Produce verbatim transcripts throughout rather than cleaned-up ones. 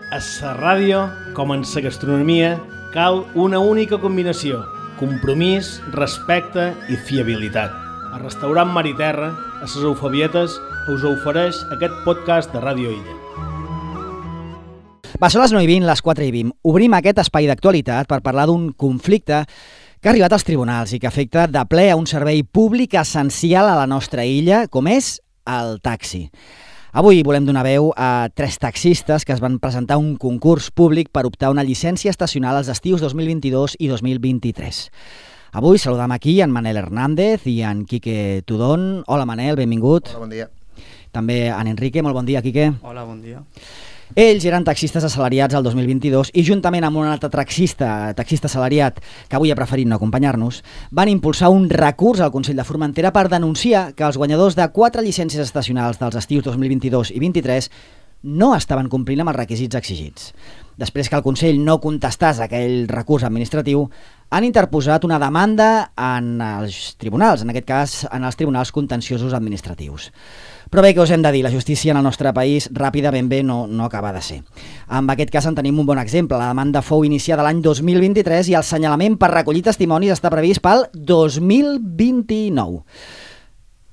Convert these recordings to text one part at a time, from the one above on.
A la ràdio, com en la gastronomia, cal una única combinació: compromís, respecte i fiabilitat. El restaurant Mar i Terra, a les Eufabietes, us ofereix aquest podcast de Ràdio Illa. Va, són les nou i vint, les quatre i vint. Obrim aquest espai d'actualitat per parlar d'un conflicte que ha arribat als tribunals i que afecta de ple a un servei públic essencial a la nostra illa, com és el taxi. Avui volem donar veu a tres taxistes que es van presentar a un concurs públic per optar una llicència estacional als estius dos mil vint-i-dos i dos mil vint-i-tres. Avui saludam aquí en Manel Hernández i en Quique Tudón. Hola Manel, benvingut. Hola, bon dia. També en Enrique, molt bon dia, Quique. Hola, bon dia. Ells eren taxistes assalariats al dos mil vint-i-dos i juntament amb un altre taxista, taxista assalariat que avui ha preferit no acompanyar-nos, van impulsar un recurs al Consell de Formentera per denunciar que els guanyadors de quatre llicències estacionals dels estius dos mil vint-i-dos i vint-i-tres no estaven complint amb els requisits exigits. Després que el Consell no contestàs aquell recurs administratiu, han interposat una demanda en els tribunals, en aquest cas en els tribunals contenciosos administratius. Però bé, què us hem de dir? La justícia en el nostre país ràpida ben bé no, no acaba de ser. En aquest cas en tenim un bon exemple. La demanda fou iniciada l'any dos mil vint-i-tres i el senyalament per recollir testimonis està previst pel dos mil vint-i-nou.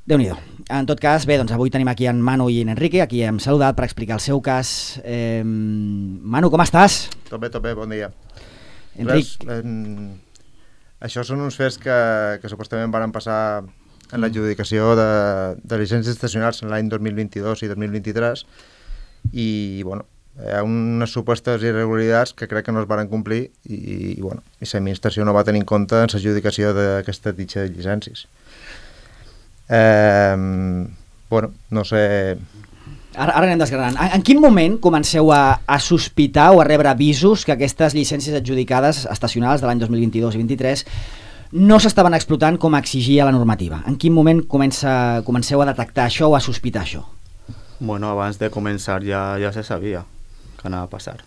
Déu-n'hi-do. En tot cas, bé, doncs avui tenim aquí en Manu i en Enrique, aquí hem saludat per explicar el seu cas. Eh, Manu, com estàs? Tot bé, tot bé, bon dia. Enric... Res, en... Això són uns fets que, que supostament van passar en l'adjudicació de, de llicències estacionals en l'any dos mil vint-i-dos i dos mil vint-i-tres i, bueno, hi ha unes supostes irregularitats que crec que no es van complir i, i bueno, i l'administració no va tenir en compte en l'adjudicació d'aquesta ditxa de llicències. Eh, bueno, no sé... Ara, ara anem desgranant. En, en quin moment comenceu a, a sospitar o a rebre avisos que aquestes llicències adjudicades estacionals de l'any dos mil vint-i-dos i vint-i-tres no s'estaven explotant com exigia la normativa? En quin moment comença, comenceu a detectar això o a sospitar això? Bueno, abans de començar ja, ja se sabia que anava a passar.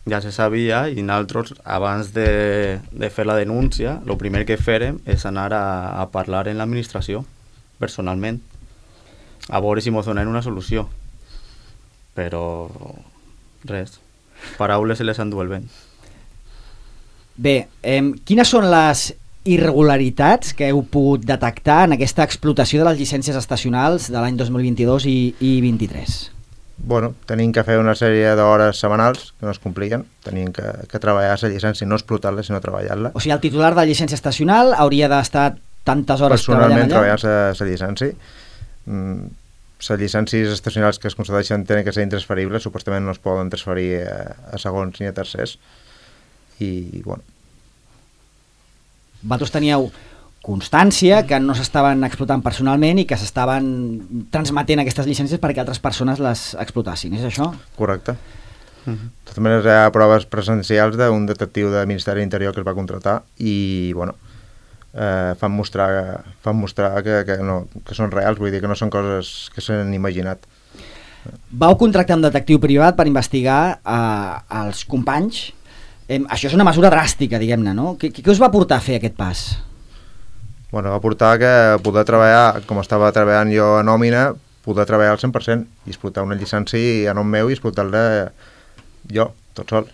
Ja se sabia i nosaltres, abans de, de fer la denúncia, el primer que fèrem és anar a, a parlar en l'administració, personalment, a veure si ens donen una solució. Però res, paraules se les endú el vent. Bé, eh, quines són les irregularitats que heu pogut detectar en aquesta explotació de les llicències estacionals de l'any dos mil vint-i-dos i, i vint-i-tres? Bueno, tenim que fer una sèrie d'hores setmanals que no es complien, tenim que, que treballar la llicència, no explotar-la, sinó treballar-la. O sigui, el titular de la llicència estacional hauria d'estar tantes hores treballant allà? Personalment treballar la llicència. Mm, les llicències estacionals que es concedeixen tenen que ser intransferibles, supostament no es poden transferir a, a segons ni a tercers. I, bueno... Vosaltres teníeu constància que no s'estaven explotant personalment i que s'estaven transmetent aquestes llicències perquè altres persones les explotassin, és això? Correcte. Uh-huh. De totes maneres, hi ha proves presencials d'un detectiu del Ministeri de l'Interior que es va contractar i, bueno, eh, fan mostrar, fan mostrar que, que, no, que són reals, vull dir que no són coses que s'han imaginat. Vau contractar un detectiu privat per investigar eh, els companys. Eh, això és una mesura dràstica, diguem-ne, no? Què, què us va portar a fer aquest pas? Bueno, va portar que poder treballar, com estava treballant jo a nòmina, poder treballar al cent per cent i explotar una llicència a nom meu i explotar-la jo, tot sol.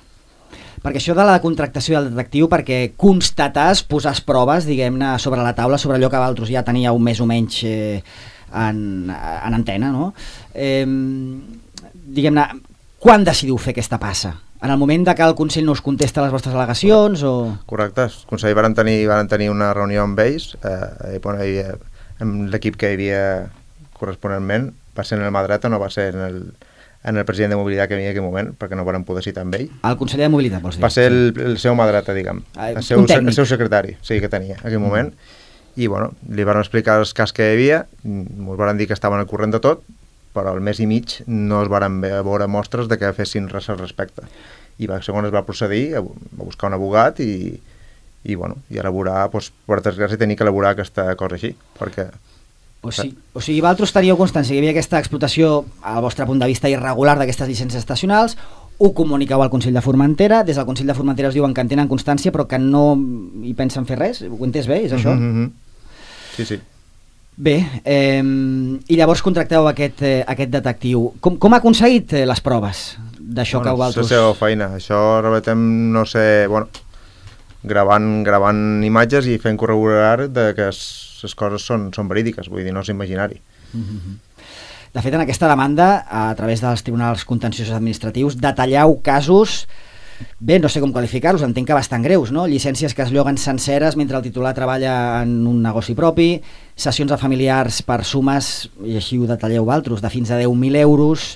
Perquè això de la contractació del detectiu, perquè constatàs, posàs proves, diguem-ne, sobre la taula, sobre allò que vosaltres ja teníeu més o menys eh, en, en antena, no? Eh, diguem-ne, quan decidiu fer aquesta passa? En el moment de que el Consell no us contesta les vostres al·legacions o...? Correcte, el Consell van tenir, van tenir una reunió amb ells, eh, i, bueno, hi havia, amb l'equip que hi havia corresponentment, va ser en el mà dreta, no va ser en el, en el president de mobilitat que hi havia en aquell moment, perquè no van poder citar amb ell. El conseller de mobilitat, vols dir? Va ser el, el seu mà dreta, diguem, ah, el, seu, el seu secretari, sí, que tenia en aquell moment, mm. i bueno, li van explicar els cas que hi havia, ens van dir que estaven al corrent de tot, però al mes i mig no es van veure mostres de que fessin res al respecte. I va, segons es va procedir a, a buscar un abogat i, i, bueno, i elaborar, doncs, per desgràcia, tenir que elaborar aquesta cosa així, perquè... O sigui, o sigui, vosaltres teníeu constància que hi havia aquesta explotació, al vostre punt de vista, irregular d'aquestes llicències estacionals, ho comuniqueu al Consell de Formentera, des del Consell de Formentera us diuen que en tenen constància però que no hi pensen fer res, ho entès bé, és això? Mm-hmm. Sí, sí. Bé, eh, i llavors contracteu aquest, eh, aquest detectiu. Com, com ha aconseguit eh, les proves? d'això bueno, que vosaltres... És la seva feina. Això relatem, no sé, bueno, gravant, gravant imatges i fent corroborar de que les coses són, són verídiques, vull dir, no és imaginari. Mm-hmm. De fet, en aquesta demanda, a través dels tribunals contenciosos administratius, detalleu casos, bé, no sé com qualificar-los, entenc que bastant greus, no? Llicències que es lloguen senceres mentre el titular treballa en un negoci propi, sessions a familiars per sumes, i així ho detalleu vosaltres, de fins a deu mil euros.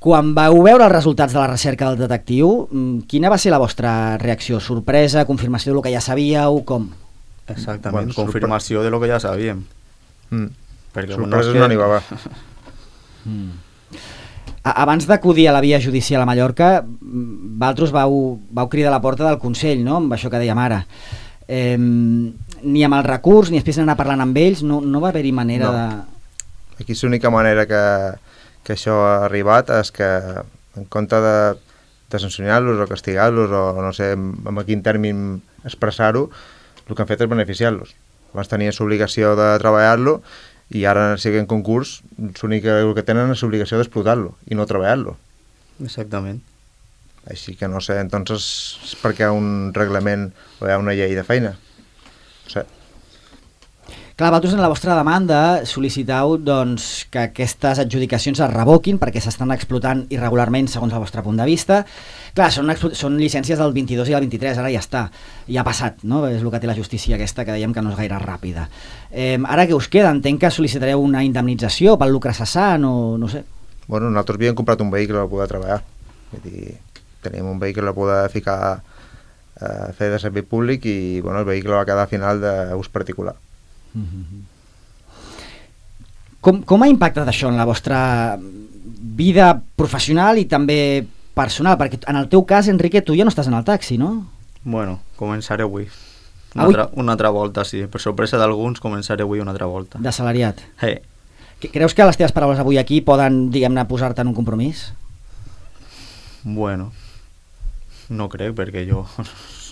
Quan vau veure els resultats de la recerca del detectiu, quina va ser la vostra reacció? Sorpresa, confirmació del que ja sabíeu, com? Exactament, Bueno, confirmació de lo que ja sabíem. Mm. Perquè, Sorpreses bueno, no n'hi va haver. Mm. Abans d'acudir a la via judicial a Mallorca, vosaltres vau, vau cridar a la porta del Consell, no?, amb això que dèiem ara. Eh, ni amb el recurs, ni després d'anar parlant amb ells, no, no va haver-hi manera no. de... Aquí l'única manera que, que això ha arribat és que, en compte de, de sancionar-los o castigar-los o no sé amb quin termin expressar-ho, el que han fet és beneficiar-los. Abans tenien l'obligació de treballar-lo i ara, si en concurs, l'únic que tenen és l'obligació d'explotar-lo i no treballar-lo. Exactament. Així que no sé, entonces, és perquè hi ha un reglament o hi ha una llei de feina. No sé. Clar, vosaltres en la vostra demanda sol·licitau doncs, que aquestes adjudicacions es revoquin perquè s'estan explotant irregularment segons el vostre punt de vista. Clar, són, són llicències del vint-i-dos i del vint-i-tres, ara ja està, ja ha passat, no? És el que té la justícia aquesta, que dèiem que no és gaire ràpida. Eh, ara què us queda? Entenc que sol·licitareu una indemnització pel lucre cessant o no sé. Bueno, nosaltres havíem comprat un vehicle per poder treballar. Vull dir, tenim un vehicle per poder ficar a fer de servei públic i bueno, el vehicle va quedar al final d'ús particular. Com, com ha impactat això en la vostra vida professional i també personal? Perquè en el teu cas, Enrique, tu ja no estàs en el taxi, no? Bueno, començaré avui. Una, avui? Altra, una altra volta, sí. Per sorpresa d'alguns, començaré avui una altra volta. D'assalariat. Hey. Creus que les teves paraules avui aquí poden, diguem-ne, posar-te en un compromís? Bueno, no crec, perquè jo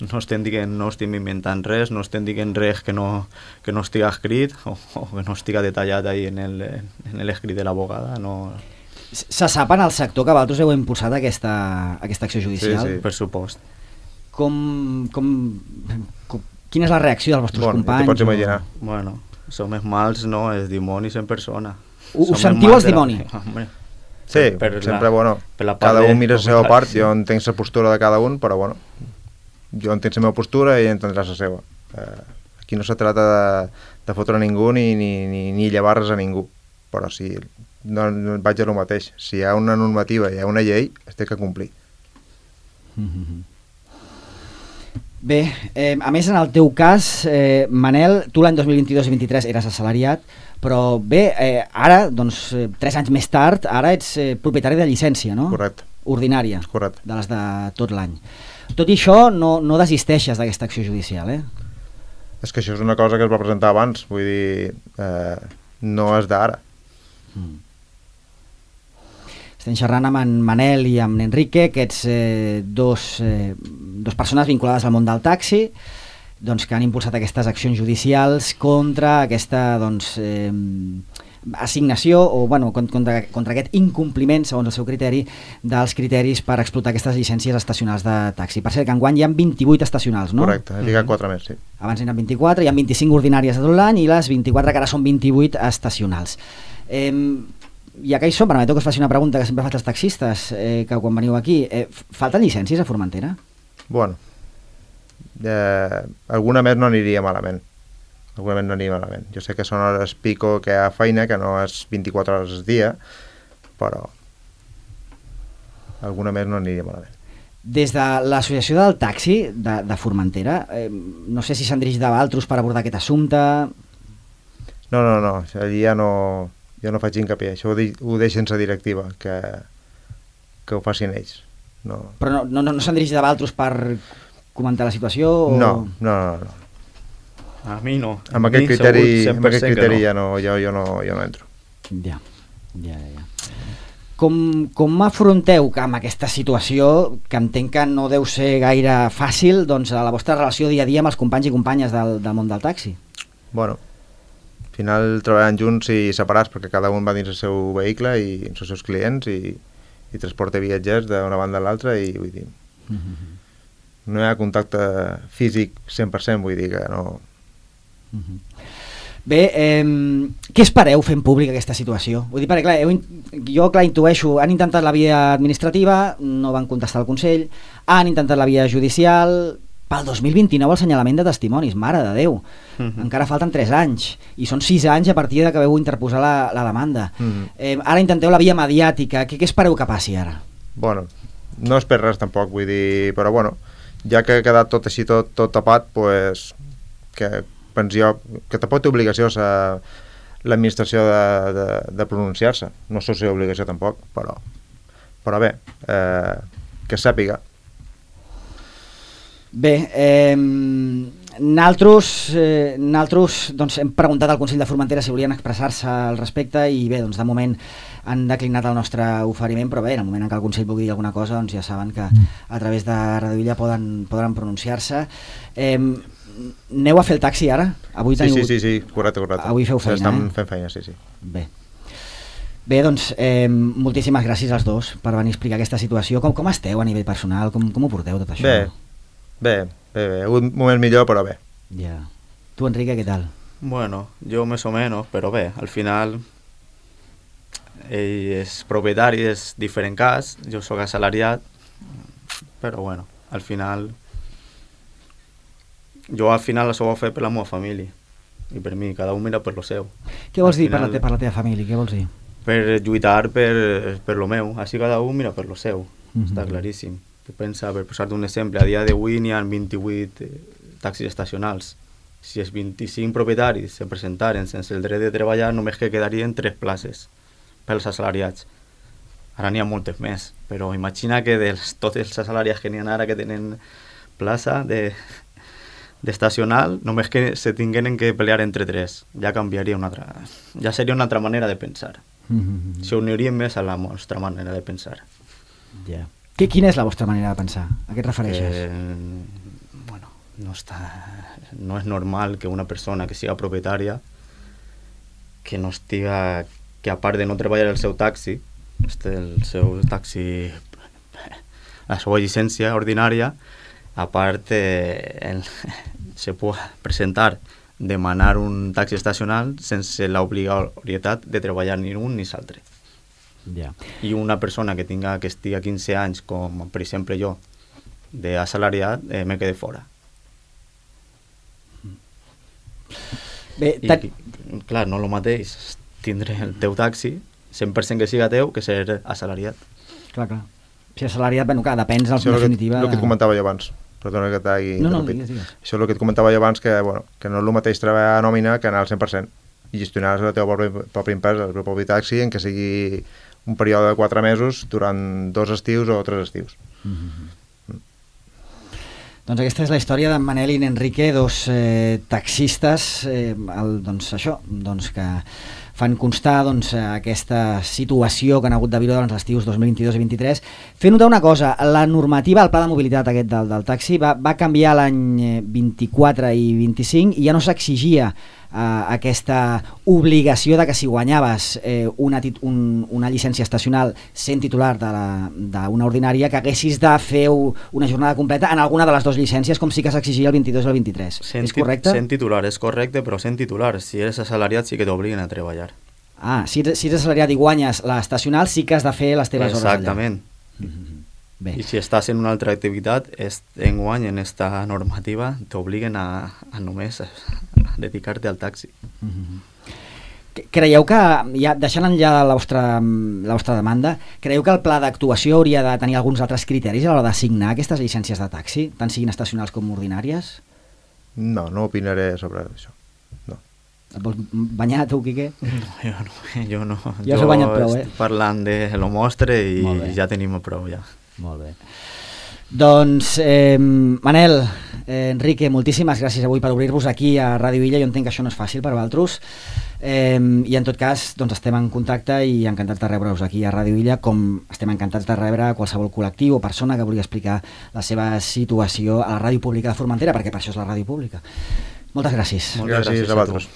no estem dient, no estem inventant res, no estem dient res que no, que no estiga escrit o, o que no estiga detallat ahí en el, en l'escrit de l'abogada. No... Se sap en el sector que vosaltres heu impulsat aquesta, aquesta acció judicial? Sí, sí. Per supost. Com, com, com, quina és la reacció dels vostres bueno, companys? Te pots imaginar. O... Bueno, som els mals, no, els dimonis en persona. Ho, Som ho sentiu els de la- dimoni? Hombre, Sí, per la- sempre, bueno, per la part cada de- un mira la seva clar, part, sí. jo entenc la postura de cada un, però bueno, jo entenc la meva postura i ell entendrà la seva. Eh, aquí no se trata de, de fotre a ningú ni, ni, ni, ni llevar-res a ningú, però si no, no vaig a lo mateix. Si hi ha una normativa i hi ha una llei, es té que complir. Mm-hmm. Bé, eh, a més en el teu cas, eh, Manel, tu l'any dos mil vint-i-dos i vint-i-tres eres assalariat, però bé, eh, ara, doncs, eh, tres anys més tard, ara ets eh, propietari de llicència, no? Correcte. Ordinària, Correcte. de les de tot l'any. Tot i això, no, no desisteixes d'aquesta acció judicial, eh? És que això és una cosa que es va presentar abans, vull dir, eh, no és d'ara. Mm. Estem xerrant amb en Manel i amb Enrique, aquests eh, dos, eh, dos persones vinculades al món del taxi, doncs, que han impulsat aquestes accions judicials contra aquesta doncs, eh, assignació o bueno, contra, contra aquest incompliment, segons el seu criteri, dels criteris per explotar aquestes llicències estacionals de taxi. Per cert, que enguany hi ha vint-i-vuit estacionals, no? Correcte, he ficat quatre més, sí. Abans n'hi ha vint-i-quatre, hi ha vint-i-cinc ordinàries de tot l'any i les vint-i-quatre que ara són vint-i-vuit estacionals. Eh, ja que hi som, permeteu que us faci una pregunta que sempre faig als taxistes, eh, que quan veniu aquí, eh, falten llicències a Formentera? Bueno, eh, alguna més no aniria malament. Alguna més no aniria malament. Jo sé que són hores pico, que hi ha feina, que no és vint-i-quatre hores al dia, però alguna més no aniria malament. Des de l'associació del taxi de, de Formentera, eh, no sé si s'han dirigit a altres per abordar aquest assumpte... No, no, no, allí ja no, jo no faig hincapié, això ho, di, ho deixen la directiva, que, que ho facin ells. No. Però no, no, no s'han dirigit a altres per comentar la situació? O... No, no, no, no. A mi no. Amb aquest criteri, amb aquest criteri no. Ja no, jo, jo, no, jo no entro. Ja, ja, ja. Com, com afronteu que amb aquesta situació, que entenc que no deu ser gaire fàcil, doncs, a la vostra relació dia a dia amb els companys i companyes del, del món del taxi? Bueno, al final treballant junts i separats perquè cada un va dins el seu vehicle i els seus clients i, i transporta viatgers d'una banda a l'altra i vull dir, mm-hmm. no hi ha contacte físic cent per cent, vull dir que no... Mm-hmm. Bé, eh, què espereu fent públic aquesta situació? Vull dir, perquè clar, heu, jo clar intueixo, han intentat la via administrativa, no van contestar al Consell, han intentat la via judicial, pel dos mil vint-i-nou el assenyalament de testimonis, mare de Déu, mm-hmm. encara falten tres anys, i són sis anys a partir de que veu interposar la, la demanda. Mm-hmm. Eh, ara intenteu la via mediàtica, què, què espereu que passi ara? Bueno, no espero res tampoc, vull dir, però bueno, ja que ha quedat tot així, tot, tot tapat, pues, que penso jo que tampoc té obligació a l'administració de, de, de pronunciar-se, no sé si obligació tampoc, però, però bé, eh, que sàpiga. Bé, eh, naltros, eh, naltros doncs, hem preguntat al Consell de Formentera si volien expressar-se al respecte i bé, doncs de moment han declinat el nostre oferiment, però bé, en el moment en què el Consell vulgui dir alguna cosa, doncs ja saben que a través de Radio Illa poden, poden pronunciar-se. Eh, Aneu a fer el taxi ara? Avui sí, teniu... sí, sí, sí, correcte, correcte. Avui feu feina, Estem eh? fent feina, sí, sí. Bé. Bé, doncs, eh, moltíssimes gràcies als dos per venir a explicar aquesta situació. Com, com esteu a nivell personal? Com, com ho porteu tot això? Bé, bé, bé, bé. Un moment millor, però bé. Ja. Tu, Enrique, què tal? Bueno, jo més o menys, però bé, al final ell és propietari, és diferent cas, jo sóc assalariat, però bueno, al final... Jo al final això ho he fet per la meva família i per mi, cada un mira per lo seu. Què vols al dir final, per, la te, per la teva família? Què vols dir? Per lluitar per, per lo meu, així cada un mira per lo seu, mm-hmm. està claríssim. Tu pensa, per posar-te un exemple, a dia d'avui n'hi ha vint-i-vuit eh, taxis estacionals. Si els vint-i-cinc propietaris se presentaren sense el dret de treballar, només que quedarien tres places pels assalariats. Ara n'hi ha moltes més, però imagina que dels tots els assalariats que n'hi ha ara que tenen plaça de... d'estacional, només que se tingueren que pelear entre tres, ja canviaria una altra... ja seria una altra manera de pensar. Mm-hmm. Se unirien més a la nostra manera de pensar. Ja. Yeah. Quina és la vostra manera de pensar? A què et refereixes? Eh, bueno, no, està, no és normal que una persona que siga propietària, que no estiga... que a part de no treballar el seu taxi, el seu taxi... la seva llicència ordinària, a part eh, el, se pot presentar, demanar un taxi estacional sense l'obligatorietat de treballar ni un ni l'altre. Yeah. I una persona que tinga que estigui a quinze anys, com per exemple jo, d'assalariat, eh, me quede fora. Bé, I, i, clar, no el mateix tindre el teu taxi, cent per cent que siga teu, que ser assalariat. Clar, clar. Si assalariat, bueno, clar, depèn en Això definitiva... El que et comentava jo abans. Perdona que t'hagi no, no, interrompit. digues, digues. Això és el que et comentava jo abans, que, bueno, que no és el mateix treballar a nòmina que anar al cent per cent i gestionar la teva pròpia, pròpia empresa, el teu propi taxi, en que sigui un període de quatre mesos durant dos estius o tres estius. Mm-hmm. Mm. Doncs aquesta és la història d'en Manel i n'Enrique, dos eh, taxistes, eh, el, doncs això, doncs que fan constar doncs, aquesta situació que han hagut de viure durant els estius dos mil vint-i-dos i vint-i-tres. Fer notar una cosa, la normativa, el pla de mobilitat aquest del, del taxi va, va canviar l'any vint-i-quatre i vint-i-cinc i ja no s'exigia eh, aquesta obligació de que si guanyaves eh, una, tit un, una llicència estacional sent titular d'una ordinària que haguessis de fer una jornada completa en alguna de les dues llicències, com sí que s'exigia el vint-i-dos i el vint-i-tres. Sent, és correcte? Sent titular, és correcte, però sent titular, si eres assalariat sí que t'obliguen a treballar. Ah, si ets, si ets assalariat i guanyes l'estacional sí que has de fer les teves hores allà. Exactament. Mm-hmm. Bé. I si estàs en una altra activitat, en guany en esta normativa t'obliguen a, a només a, a dedicar-te al taxi. Mm-hmm. Creieu que, ja deixant enllà la vostra, la vostra demanda, creieu que el pla d'actuació hauria de tenir alguns altres criteris a l'hora d'assignar aquestes llicències de taxi, tant siguin estacionals com ordinàries? No, no opinaré sobre això. No. Et vols banyar tu, Quique? No, jo no. Jo, no. Ja us heu banyat prou, eh? Estic parlant de lo mostre i ja tenim prou, ja. Molt bé. Doncs, eh, Manel, eh, Enrique, moltíssimes gràcies avui per obrir-vos aquí a Ràdio Illa. Jo entenc que això no és fàcil per vosaltres. Eh, I en tot cas, doncs estem en contacte i encantats de rebre-us aquí a Ràdio Illa, com estem encantats de rebre qualsevol col·lectiu o persona que vulgui explicar la seva situació a la ràdio pública de Formentera, perquè per això és la ràdio pública. Moltes gràcies. Moltes gràcies, gràcies a vosaltres.